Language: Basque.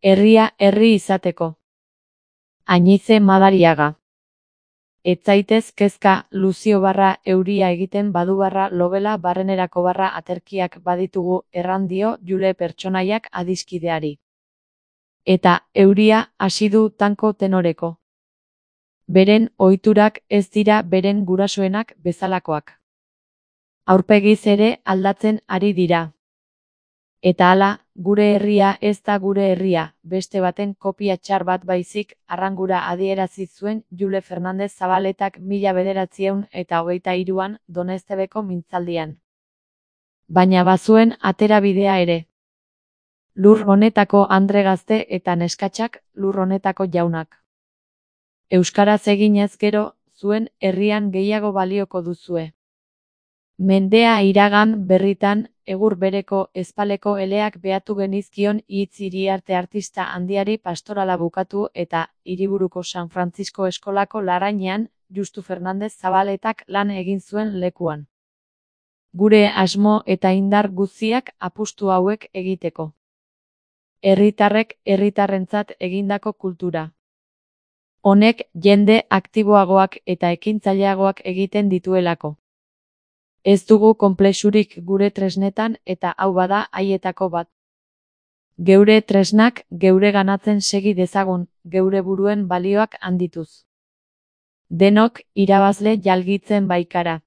Herria herri izateko. Añize Madariaga. Ez zaitez kezka, Luzio barra euria egiten badu barra lobela barrenerako barra aterkiak baditugu erran dio Jule pertsonaiak adiskideari. Eta euria hasi du tanko tenoreko. Beren ohiturak ez dira beren gurasoenak bezalakoak. Aurpegiz ere aldatzen ari dira. Eta hala, gure herria ez da gure herria, beste baten kopia txar bat baizik, arrangura adierazi zuen Jule Fernandez Zabaletak 1923an Doneztebeko mintzaldian. Baina bazuen aterabidea ere. Lur honetako andre gazte eta neskatxak, lur honetako jaunak. Euskaraz eginez gero, zuen herrian gehiago balioko duzue. Mendea iragan berritan, egur bereko ezpaleko eleak behatu genizkion hitz Iriarte artista handiari pastorala bukatu eta hiriburuko San Francisco eskolako larrainean, Justu Fernandez Zabaletak lan egin zuen lekuan. Gure asmo eta indar guztiak apustu hauek egiteko. Herritarrek herritarrentzat egindako kultura. Honek jende aktiboagoak eta ekintzaileagoak egiten dituelako. Ez dugu konplexurik gure tresnetan eta hau bada haietako bat. Geure tresnak geure ganatzen segi dezagun, geure buruen balioak handituz. Denok irabazle jalgitzen baikara.